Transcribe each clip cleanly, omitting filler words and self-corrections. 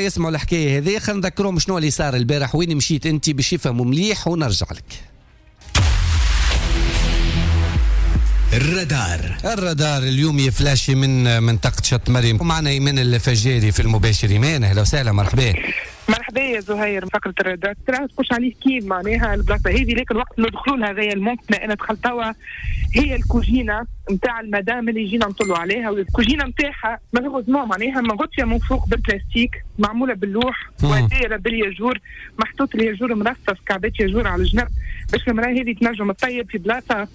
يسمعوا الحكاية هذه، خلينا نذكرهم شنو اللي صار البارح، وين مشيت انت باش يفهموا مليح ونرجع لك. الرادار اليوم يفلاشي من منطقة شط مريم، ومعنا ايمان الفجاري في المباشر. ايمان اهلا وسهلا، مرحبا. مرحبا يا زهير. فقرة الرادار ترى تخش عليه كيف معناها البلاصة هذه، لكن وقت ندخلوا لها هذايا المنطقة انا دخلت توا هي الكوجينة نتاع المدام اللي جينا نطلوا عليها، والكوجينة نتاعها malheureusement معناها مغطية من فوق بالبلاستيك، معمولة باللوح ودايرة بالياجور، محطوط الياجور مرصص كعبات ياجور على الجنب باش المرأة هذه تنجم تطيب في بلاصة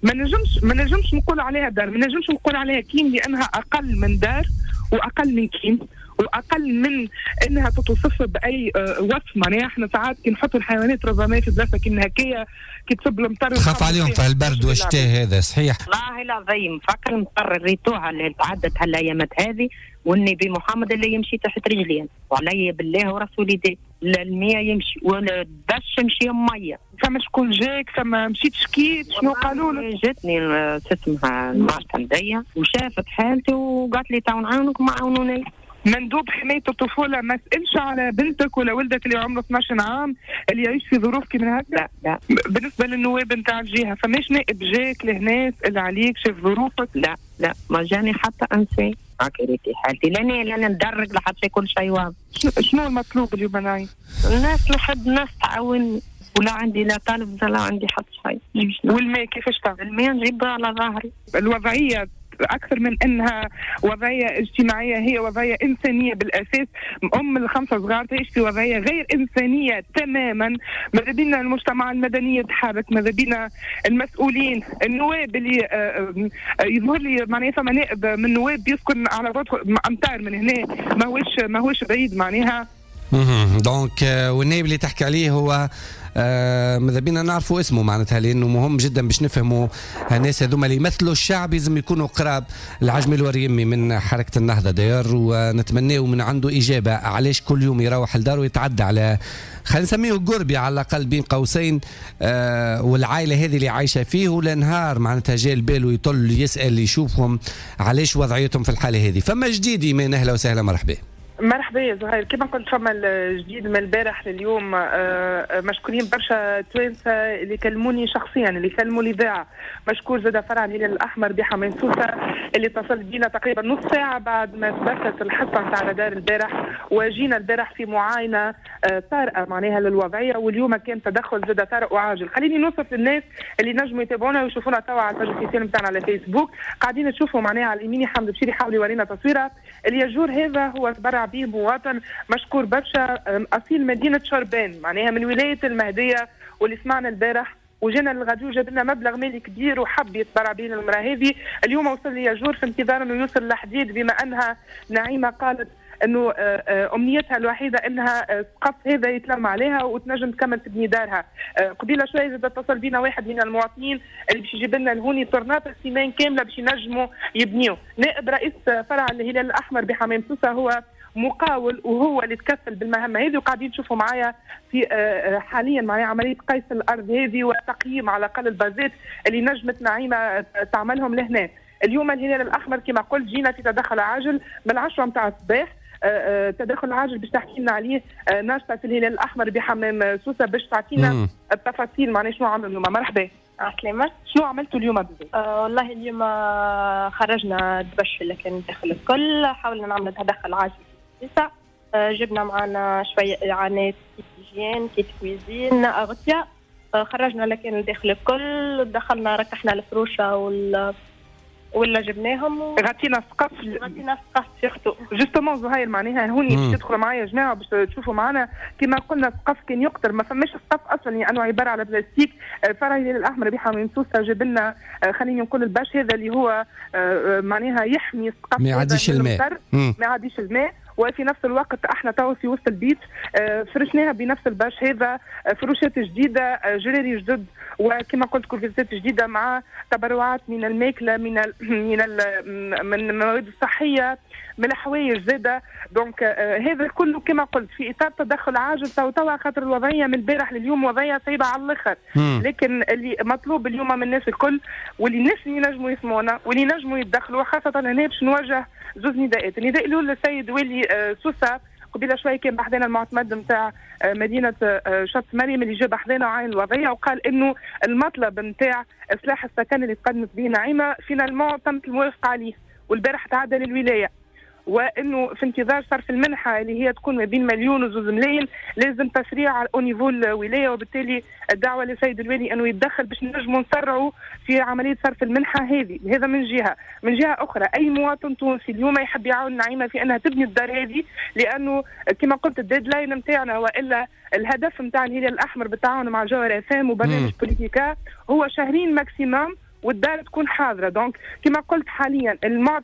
ما نجمش نقول عليها دار، ما نجمش نقول عليها كيم، لأنها أقل من دار وأقل من كيم واقل من انها تتوصف باي وصف. معناها احنا ساعات كي نحطوا الحيوانات ربما في بلاصة كي هكايا كي تصب المطر تخاف عليهم في البرد والشتاء، هذا صحيح. والله العظيم فكر المطر ريتوها اللي تعدت هالايامات هذه، والنبي محمد اللي يمشي تحت رجلين، وعلي بالله ورسول يدي المية يمشي والدش يمشي مية. فما شكون جاك؟ فما مشيت شكيت؟ شنو قالوا لك؟ جاتني اسمها المعتمديه وشافت حالتي وقالت لي تو نعاونك، ما عاونوني. مندوب حماية الطفولة ما سألش على بنتك ولا ولدك اللي عمره 12 عام اللي يعيش في ظروف كيما هكا؟ لا لا. بالنسبة للنواب نتاع الجهة فماش نائب جاك لهنا سأل عليك شاف ظروفك؟ لا لا، ما جاني حتى انسان. هاكي ريتي حالتي، لاني ندرك لحد كل شيء واضح. شنو المطلوب اليوم ناي؟ الناس نحب الناس تعاوني، ولا عندي لا طالب ولا عندي حتى شيء. والماء كيفاش تعمل؟ الماء نجيبه على ظهري. الوضعية أكثر من أنها وضعية اجتماعية هي وضعية إنسانية بالأساس. أم الخمسة صغار تعيش في وضعية غير إنسانية تماما. ماذا بينا المجتمع المدني يتحرك، ماذا بينا المسؤولين النواب اللي يظهر لي معناها فما نائب من النواب يسكن على بعد أمتار من هنا، ماهوش بعيد معناها. donc والنائب اللي تحكي عليه هو ماذا بينا نعرفوا اسمه معناتها، لانه مهم جدا باش نفهموا الناس هذوما اللي يمثلوا الشعب، لازم يكونوا قراب. العجمي الوريمي من حركة النهضة داير، ونتمناه من عنده اجابه علاش كل يوم يروح لداره ويتعدى على خلينا نسميه قربي على الاقل بين قوسين، والعائلة هذه اللي عايشه فيه ولا نهار معناتها جاي البال ويطل يسال يشوفهم علاش وضعيتهم في الحالة هذه. فما جديد ايمان، اهلا وسهلا، مرحبا. مرحبا يا زهير. كما قلت فما الجديد من البارح لليوم. مشكورين برشا توانسة اللي كلموني شخصيا، اللي كلموا الاذاعة. مشكور زاد فرع الهلال الاحمر بحمام سوسة اللي اتصل بينا تقريبا نص ساعة بعد ما ثبتت الحصة نتاع رادار البارح، وجينا البارح في معاينة طارئة معناها للوضعيه، واليوم كان تدخل زاد طارئ وعاجل. خليني نوصف للناس اللي نجموا يتابعونا ويشوفونا توا على ال page officielle نتاعنا على فيسبوك، قاعدين تشوفوا معناها على اليمين حمد بشير يحاول يورينا تصويره. الياجور هذا هو تبرع به مواطن مشكور برشا اصيل مدينة شربان معناها من ولاية المهدية، واللي سمعنا البارح وجينا للغاديو جاب لنا مبلغ مالي كبير وحب يتبرع به للمراة هذه. اليوم وصل لي ياجور في انتظار انه يوصل لحديد، بما انها نعيمه قالت انه امنيتها الوحيدة انها السقف هذا يتلم عليها وتنجم تكمل تبني دارها. قبيلة شوية زاد اتصل بينا واحد من المواطنين اللي باش يجيب لنا الهوني طرنات السيمان كاملة باش ينجموا يبنيو. نائب رئيس فرع الهلال الاحمر بحمام سوسة هو مقاول وهو اللي تكفل بالمهمه هذه، وقاعدين تشوفوا معايا في حاليا معايا عملية قيس الارض هذه وتقييم على الاقل البازات اللي نجمت نعيمه تعملهم لهنا. اليوم الهلال الاحمر كما قلت جينا في تدخل عاجل من 10 متاع الصباح. تدخل عاجل باش تحكي لنا عليه ناشطة في الهلال الاحمر بحمام سوسة باش تعطينا التفاصيل معناها شنو عملوا اليوم. مرحبا. عسلامة. شنو عملتوا اليوم بالضبط؟ والله اليوم خرجنا الدبش اللي كان داخل الكل، حاولنا نعمل تدخل عاجل في سوسة. جبنا معنا شوية إعانات kit hygiène، kit cuisine، أغطية. خرجنا اللي كان داخل الكل، دخلنا ركحنا الفروشة ولا جبناهم غطينا السقف. غطينا السقف surtout justement زهير معناها هوني باش تدخلوا معايا يا جماعة باش تشوفوا معنا. كما قلنا السقف كان يقطر، ما فماش سقف اصلا لانه يعني عبارة على بلاستيك. فرع الهلال الاحمر بحمام سوسة جاب لنا خليني نقول ال bâche هذا اللي هو معناها يحمي السقف، ما يعديش الماء، ما يعديش الماء. وفي نفس الوقت احنا توا في وسط البيت فرشناها بنفس ال bâche هذا، فروشات جديدة، جراري جدد، وكما قلت كوفيزات جديدة مع تبرعات من الماكلة، من ال من ال من المواد الصحية، من الحوايج زاده. donc هذا كله كما قلت في اطار تدخل عاجل توا خاطر الوضعية من البارح لليوم وضعية صعيبة على الاخر. لكن اللي مطلوب اليوم من الناس الكل واللي الناس اللي ينجموا يسمعونا واللي ينجموا يتدخلوا، خاصة هنا باش نوجه زوج نداءات. النداء الاول للسيد والي سوسة قبيلة شوية كان بحذانا المعتمد نتاع مدينة شط مريم اللي جاب بحذانا وعين الوضعية، وقال انه المطلب نتاع اصلاح السكن اللي تقدمت به نعيمه finalement تمت الموافقة عليه، والبارح تعدى للولاية، وانه في انتظار صرف المنحة اللي هي تكون ما بين 1 و2 ملايين لازم تسريع على niveau الولاية، وبالتالي الدعوة للسيد الوالي انه يتدخل باش نجموا نسرعوا في عملية صرف المنحة هذه. هذا من جهة، من جهة اخرى اي مواطن تونسي اليوم يحب يعاون نعيمه في انها تبني الدار هذه، لانه كما قلت ال deadline نتاعنا والا الهدف نتاع الهلال الاحمر بالتعاون مع جوهر اف ام وبرنامج بوليتيكا هو شهرين maximum والدار تكون حاضره. donc كما قلت حاليا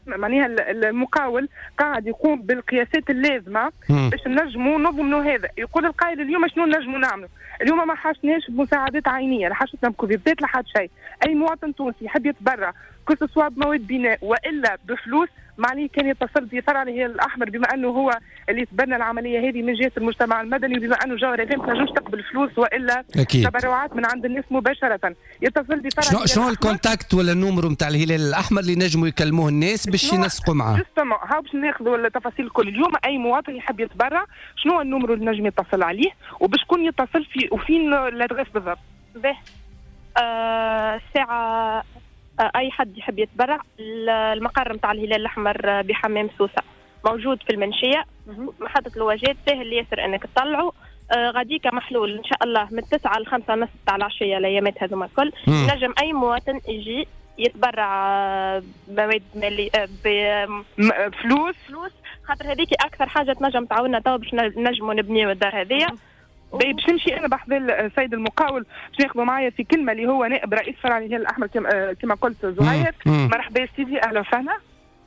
معناها المقاول قاعد يقوم بالقياسات اللازمة باش نجموا نضمنوا هذا. يقول القائل اليوم شنو نجموا نعملوا؟ اليوم ما حاجتناش بمساعدات عينيه، لا حاجتنا بكوفيتات، لا حاجة شيء. اي مواطن تونسي يحب يتبرع que ce soit بمواد بناء والا بفلوس، ما عليه كان يتصل بفرع الهلال الاحمر، بما انه هو اللي يتبنى العملية هذه من جهة المجتمع المدني، وبما انه جوهر ما تنجمش تقبل فلوس والا أكيد تبرعات من عند الناس مباشرة، يتصل بفرع. شنو ال contact ولا ال numéro نتاع الهلال الاحمر اللي نجموا يكلموه الناس باش ينسقوا معاه؟ justement هاو باش ناخذوا التفاصيل الكل. اليوم اي مواطن يحب يتبرع شنو ال numéro اللي نجم يتصل عليه وباش شكون يتصل في وفين l'adresse بالضبط؟ به الساعة اي حد يحب يتبرع، المقر نتاع الهلال الاحمر بحمام سوسة موجود في المنشيه محطة الواجات، ساهل ياسر انك تطلعوا. غاديكا محلول ان شاء الله من 9 ل 5 ونص تاع العشية الايامات هذوما الكل. نجم اي مواطن يجي يتبرع بمواد مالي بفلوس فلوس، خاطر هذيك اكثر حاجة تنجم تعاوننا توا باش نجموا نبنيو الدار هذيا. باش نمشي انا بحذا السيد المقاول باش ناخذه معايا في كلمة اللي هو نائب رئيس فرع الهلال الاحمر كما قلت زهير. مرحبا سيدي، اهلا وسهلا.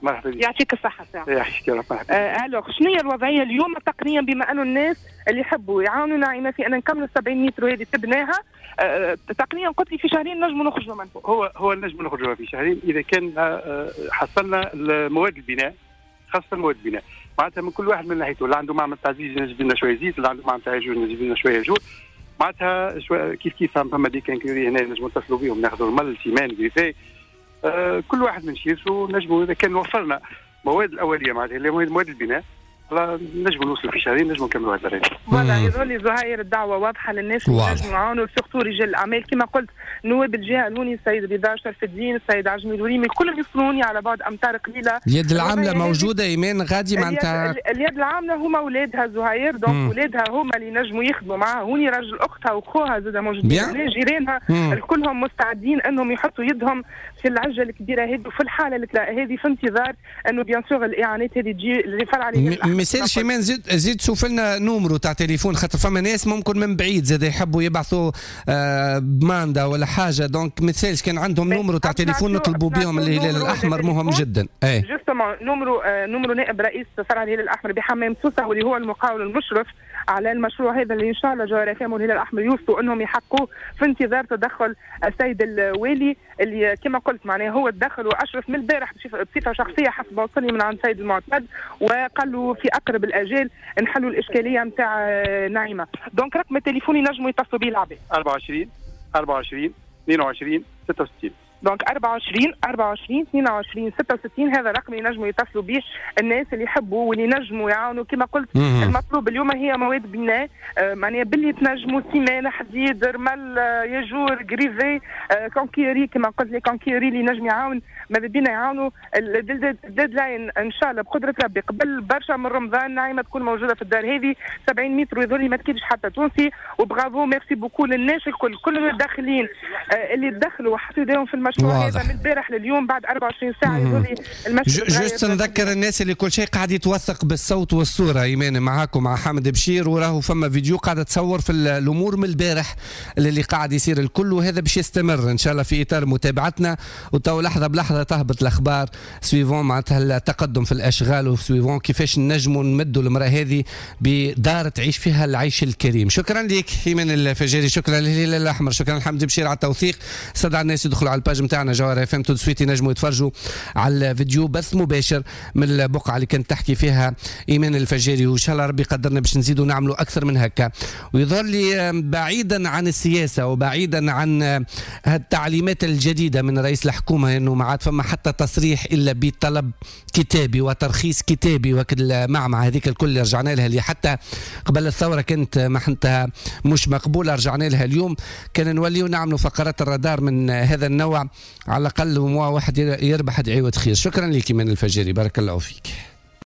مرحبا بك، يعطيك الصحة ساعة. يعيشك يا رب. مرحبا. alors شنو هي الوضعية اليوم تقنيا بما انه الناس اللي يحبوا يعاونوا نعيمه في ان نكملوا 70 متر هذه تبناها تقنيا قلت لي في شهرين نجموا نخرجوا منه. هو نجموا نخرجوا في شهرين اذا كان حصلنا مواد البناء، خاصة مواد البناء، معناتها من كل واحد من ناحيته، اللي عنده معمل تاع زيت ينجم لنا شوية زيت، اللي عنده معمل تاع ياجور ينجم لنا شوية ياجور، معناتها كيف كيف فما des quincailleries هنا نجموا نتصلوا بهم ناخذوا رمل ciment grivé، كل واحد من شيرته نجموا اذا كان وفرنا مواد الاولية معناتها اللي مواد البناء نجموا نوصلوا في شهرين نجموا نكملوا هذا الريت. voilà يظهر لي زهير الدعوة واضحة للناس اللي نجموا يعاونوا surtout رجال الاعمال كما قلت نواب الجهة الهوني السيد رضا شرف الدين السيد عجمي الوريمي كلهم يوصلوني على بعد امتار قليله. اليد العاملة موجودة ايمان غادي معناتها اليد العاملة هما اولادها زهير، donc اولادها هما اللي نجموا يخدموا معاها هوني، راجل اختها وخوها زاد موجودين جيرانها كلهم مستعدين انهم يحطوا يدهم في العجلة الكبيرة هذه وفي الحالة هذه في انتظار انه bien sûr الاعانات هذه تجي لفرع. مثال شيمان زيد شوف لنا numéro تاع تليفون خاطر فما ناس ممكن من بعيد زاد يحبوا يبعثوا ب mandat ولا حاجة، donc مثالش كان عندهم numéro تاع تليفون نطلبوا بهم الهلال الاحمر مهم جدا. اي justement numéro نائب رئيس فرع الهلال الاحمر بحمام سوسة واللي هو المقاول المشرف على المشروع هذا اللي ان شاء الله جوهر اف ام والهلال الاحمر يوصلوا انهم يحققوه في انتظار تدخل السيد الوالي اللي كما قلت معناه هو تدخل واشرف من البارح بصفة شخصية حسب ما وصلني من عند السيد المعتمد وقال له في اقرب الاجال نحلوا الاشكالية نتاع نعيمه. donc رقم التليفون ينجموا يتصلوا به العباد 24 24 22 66. donc 24 24 22 66 هذا رقم ينجموا يتصلوا به الناس اللي يحبوا واللي ينجموا يعاونوا. كما قلت المطلوب اليوم هي مواد بناء معناها باللي تنجموا ciment حديد رمل ياجور grivé quincaillerie كما قلت les quincailleries اللي نجم يعاون ماذا بينا يعاونوا. ال deadline ان شاء الله بقدره ربي قبل برشا من رمضان نعيمه تكون موجودة في الدار هذه 70 متر ويظل ما تكيدش حتى تونسي. و bravo merci beaucoup للناس الكل كل المتدخلين اللي تدخلوا وحطوا يديهم في المشروع هذا من البارح لليوم بعد 24 ساعة يقول لي المشروع. juste نذكر الناس اللي كل شيء قاعد يتوثق بالصوت والصورة ايمان معاكم مع حامد بشير وراهو فما فيديو قاعدة تصور في الامور من البارح اللي قاعد يصير الكل، وهذا باش يستمر ان شاء الله في اطار متابعتنا وتو لحظة بلحظة تهبط الاخبار suivant معناتها التقدم في الاشغال و suivant كيفاش نجموا نمدوا المراة هذه بدار تعيش فيها العيش الكريم. شكرا لك ايمان الفجاري، شكرا للهلال الاحمر، شكرا لحمد بشير على التوثيق. استدعى الناس يدخلوا على ال page page نتاعنا جوهرة اف ام tout de suite ينجموا يتفرجوا على الفيديو، بث مباشر من البقعة اللي كانت تحكي فيها ايمان الفجاري. وان شاء الله ربي قدرنا باش نزيدوا نعملوا اكثر من هكا. ويظهر لي بعيدا عن السياسة وبعيدا عن التعليمات الجديدة من رئيس الحكومة انه ما عاد فما حتى تصريح الا بطلب كتابي وترخيص كتابي، وكل هذيك الكل اللي رجعنا لها، اللي حتى قبل الثورة كانت محنتها مش مقبوله، رجعنا لها اليوم. كان نوليو نعملوا فقرات الرادار من هذا النوع، على الاقل واحد يربح دعوه خير. شكرا لك ايمان الفجاري، بارك الله فيك.